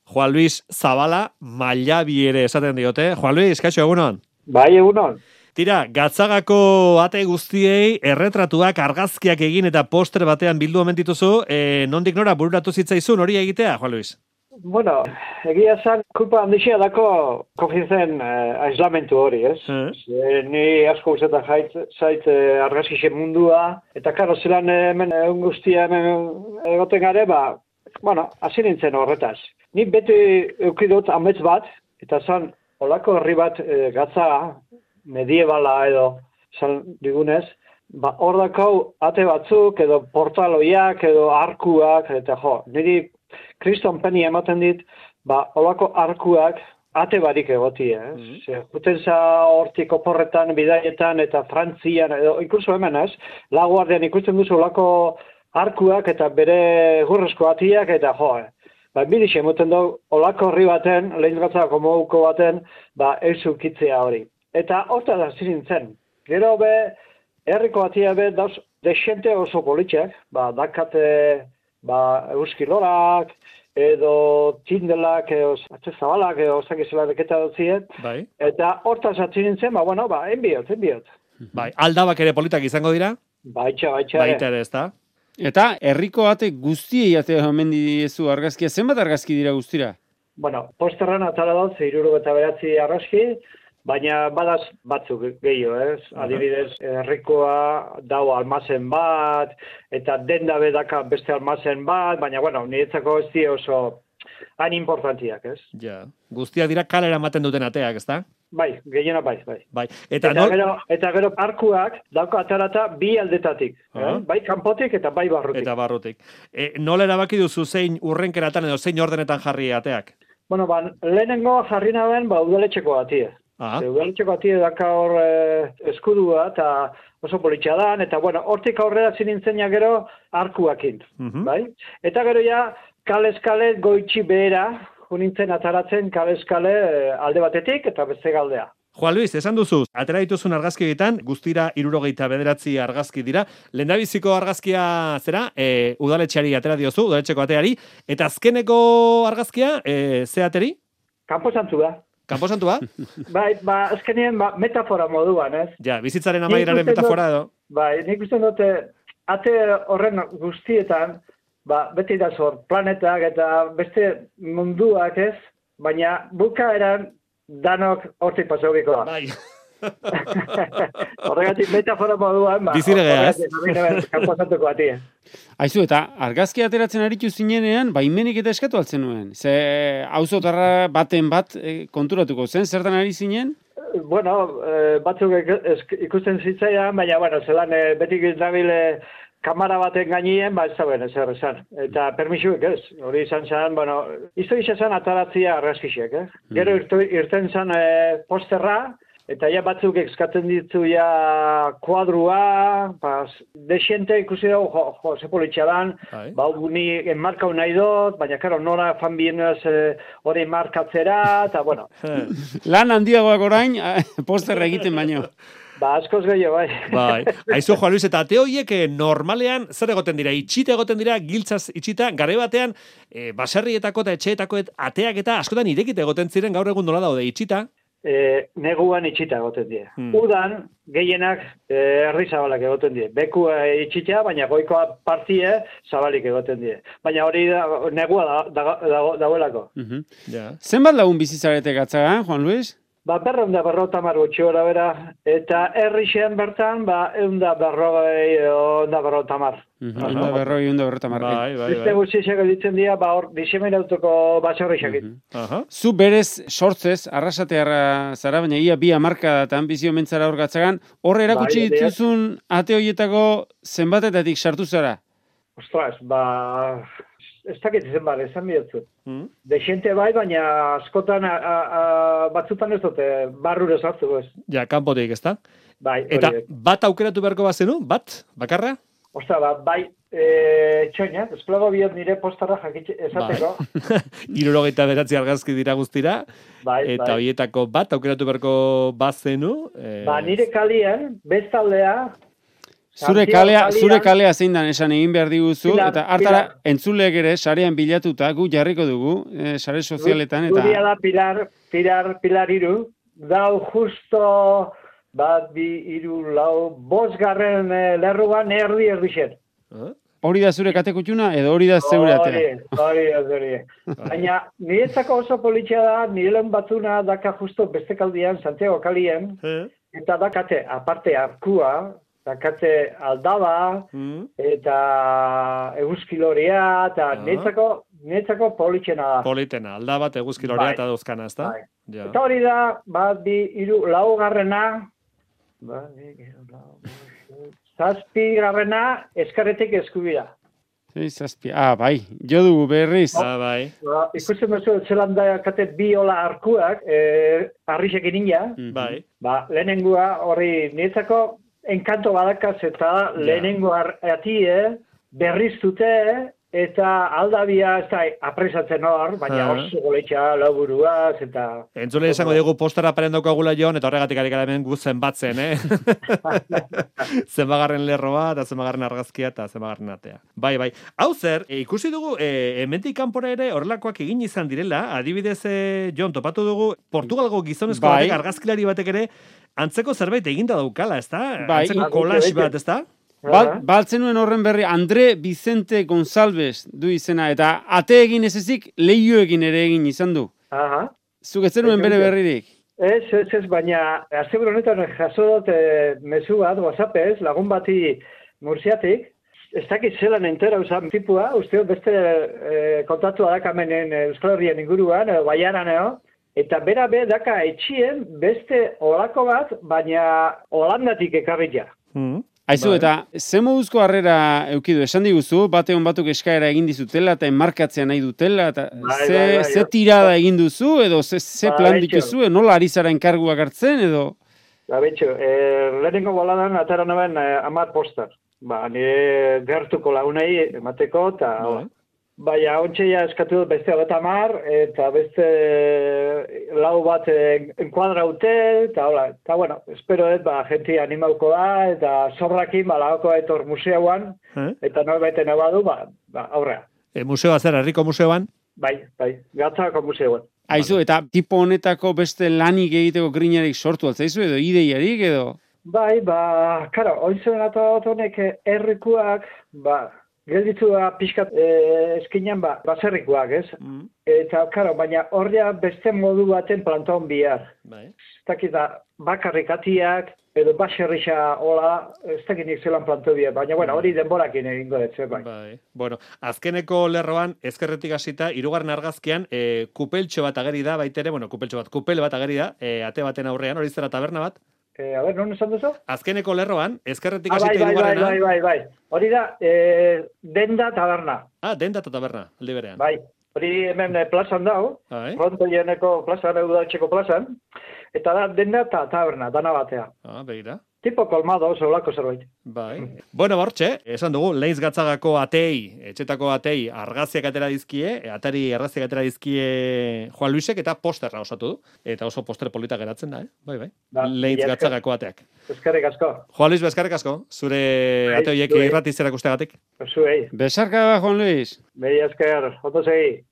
Juan Luis Zabala, Mailabi ere esaten diote. Juan Luis, kaixo, egunon? Bai, egunon. Tira, Gatzagako ate guztiei erretratuak argazkiak egin eta poster batean bildu omen dituzu, nondik nora bururatu zitzaizun hori egitea, Juan Luis? Bueno, egia zan, kulpa handixea dako kogizen aislamentu hori, ez? Ni asko guzetan zait argazkixe mundua, eta karo, zelan hemen egun guztian egoten gare, hasi nintzen horretaz. Ni beti eukidot amets bat, eta zan, olako herri bat Gatzaga, mediebala edo zan digunez, hor dakau ate batzuk, edo portaloiak, edo arkuak, eta niri kriston peni ematen dit, olako arkuak ate barik egotie, Juten za hortik oporretan, bidaietan, eta Frantzian, edo inkluso hemen Laguardian ikusten duzu olako arkuak, eta bere gurrezko atiak, eta bidixe emoten dugu, olako herri baten, lehen Gatzagako moduko baten, eusukitzea hori. Eta horta da zirintzen. Gero herriko atia dauz, desente oso politxak, dakate, euskilorak, edo tindelak, edo atzezabalak, edo zakizela deketa dutziet. Bai. Eta horta zirintzen, enbiot. Bai, aldabak ere politak izango dira? Baita. Baita ere, ez da? Eta herriko ate guztiei ate omen diezu argazkia, zenbat argazki dira guztira? Posterran atara dauz, 69 argazki, baina badaz batzuk gehiago, Adibidez, herrikoa dau almazen bat, eta denda bedaka beste almazen bat, baina, niretzako ez di oso hain importantiak, Ja, guztiak dira kalera ematen duten ateak, ez da? Bai, gehiena bai. Eta gero arkuak dauka atarata bi aldetatik, bai kanpotik eta bai barrutik. Nola erabaki duzu zein urrenkeratan edo zein ordenetan jarri ateak? Lehenengo jarri naben, udaletxeko atie. Udaletxeko atie daka hor eskudua eta oso politxadan, eta hortik aurrera zinintzenia gero arkuakin, bai? Eta gero ja, kale goitxi behera, nintzen ataratzen kale alde batetik eta beste galdea. Juan Luis, esan duzu, atera dituzun argazki egiten, guztira 69 argazki dira. Lehendabiziko argazkia zera, udaletxeari atera diozu, udaletxeko ateari, eta azkeneko argazkia, ze ateri? Kanposantua. Kanposantua? Bai, azkenien metafora moduan, ez? Ja, bizitzaren amaieraren metafora edo. Bai, nik uste dute, ate horren guztietan, beti da zor, planetak eta beste munduak ez, baina bukaeran danok hortik pasaukiko da. Bai. Horregatik metafora moduan, Biziregea, ez? Kanposatuko batia. Aizu, eta argazki ateratzen aritu zinenean, baimenik eta eskatu altzen nuen. Ze auzotarra baten bat konturatuko zen, zertan ari zinen? Batzuk ikusten zitzaidan, baina, zelan betik izabile kamara baten gainien, ez da ben, ezer esan. Eta permisuek ez, hori izan zen, izto izan ataratzia argazkixek, Gero irten zen posterra, eta ja batzuk eskatzen ditzu ja kuadrua, desiente ikusi dugu, ze politxadan, ni enmarkau nahi dut, baina, karo, nora fan bienez hori markatzera, eta, Lan handiagoak orain, posterra egiten baino. Askoz gehiago, bai. Bai. Aizu, Juan Luis, eta ate horiek normalean zer egoten dira? Itxita egoten dira, giltzaz itxita, garai batean, baserrietako eta etxeetako ateak eta askotan irekite egoten ziren gaur egun nola daude itxita? Neguan itxita egoten die. Udan, gehienak herri zabalak egoten die. Bekua itxita, baina goikoa partie zabalik egoten die. Baina hori negua dauelako. Zenbat lagun bizitzarete Gatzagan, Juan Luis? 250 gutxi gora bera, eta herrixean bertan, 150. 150. Bai. Beste gutxixak ditzen dira, hor diseminatuko baserrixak. Zu berez sortzez, arrasatearra zara, baina ia bi hamarkadatan bizio mentzara hor Gatzagan, horre erakutsi dituzun ate horietako zenbatetatik sartu zara? Ostras, ez dakit izan esan bihotzu. Dexente bai, baina askotan batzutan ez dute barrure sartu, ez. Ja, kanpotik, ez da? Bai, eta bat aukeratu beharko bazenu? Bat? Bakarra? Ostra, bai, txoina, esplago biot nire postarra esateko. 69 argazki dira guztira, eta horietako bat aukeratu beharko bazenu. Nire kalien, bestaldea, Zure kalea zein dan esan egin behar diguzu, eta hartara entzuleek ere sarean bilatuta, gu jarriko dugu, sare sozialetan. Guria da Pilar Iru, dau justo bat, bi, iru, lau, 5. lerruan erdi-erdixen. Hori da zure katekutxuna, edo hori da zeure atea? Hori. Baina, niretzako oso politxea da, nire lehen batuna daka justo beste kaldian, Santiago kalien, eta dakate, aparte arkua, dakate aldaba, eta eguzkiloria, eta niretzako politxena da. Politena, aldaba, eguzkiloria eta dauzkana, ez da? Eta hori da, bat, bi, iru, 4. Zazpigarrena eskarretik eskubira. Zazpi, bai, jo dugu berriz. Bai. Ikusten duzu, zelan da kate bi hola arkuak, arrixekin ina. Bai. Lehenengua hori niretzako enkanto badakaz eta lehenengo atie berriztute eta aldabia ez da apresatzen hor, baina oso goletxa lauburuaz eta... Entzule esango dugu postara paren daukagula joan, eta horregatik ari gara hemen guzen batzen, zenbagarren lerroa, eta zenbagarren argazkia, eta zenbagarren atea. Bai. Hau zer, ikusi dugu, hemendik kanpora ere horrelakoak egin izan direla, adibidez, Jon, topatu dugu, Portugalgo gizonezko batek, argazkilari batek ere, antzeko zerbait eginda daukala, ez da? Antzeko collage bat, ez da? Baltzen nuen horren berri, Andre Vicente González du izena, eta ate egin ez ezik, lehioekin ere egin izan du. Zuk ez zenuen bere berririk? Ez, baina, azte honetan jaso dut mezu bat, WhatsAppez, lagun bati Murziatik, ez dakit zelan entera usan tipua, uste beste kontatua dakamenen Euskal Herrian inguruan, Baiaran, eta bera daka etxien beste olako bat, baina Holandatik ekarria. Aizu, eta ze moduzko harrera eukidu, esan diguzu, bateon batuk eskaera egin dizutela, eta enmarkatzea nahi dutela, eta ze tirada egin duzu, edo ze plan dituzu, nola ari zara enkarguak hartzen, edo? Betxo, lehenengo boladan atara naben 10 poster. Nire gertuko lagunei emateko, eta... Baina, ontseia eskatu dut beste 10, eta beste lau bat enkuadraute, eta hola, eta bueno, espero dut, jenti animauko da, eta sobrakin, lagoko etor museoan, eta norbaiten abadu, aurrea. Museoa zer, herriko museoan? Bai, Gatzako museoan. Aizu, eta tipo honetako beste lanik egiteko grinarik sortu altzaizu, edo ideiarik, edo? Bai, karo, ointzen honek herrikuak, gelditzua pixkat eskinean baserrikoak, ez? Eta, karo, baina horria beste modu baten plantaon bihar. Ez dakit da, bakarrik atiak, edo baserrixa hola, ez dakit nik zelan planto bihar. Baina, hori denborakin egingo dut, bai. Bueno, azkeneko lerroan, ezkerretik hasita, 3. argazkian, kupeltxo bat ageri da, baitere, kupel bat ageri da, ate baten aurrean, hori zera taberna bat? Non esan duzu? Azkeneko lerroan, ezkerretik hasita 3. Bai. Hori da, denda taberna. Denda taberna, aldi berean. Bai, hori hemen plazan dau, frontoieneko plazan, udaltxeko plazan, eta da denda taberna, dana batea. Begira. Tipo kolmado, zeulako zerbait. Bai. Bueno, bortxe, esan dugu, Leiz Gatzagako atei, etxetako atei, argaziak atera dizkie, atari argaziak atera dizkie Juan Luisek, eta posterra osatu du. Eta oso poster polita geratzen da, Bai. Leiz Gatzagako ateak. Eskerrik asko. Juan Luis, eskerrik asko, zure ate horiek irratiz erakustegatik. Zuei. Besarka, Juan Luis. Bai, esker, oto segi.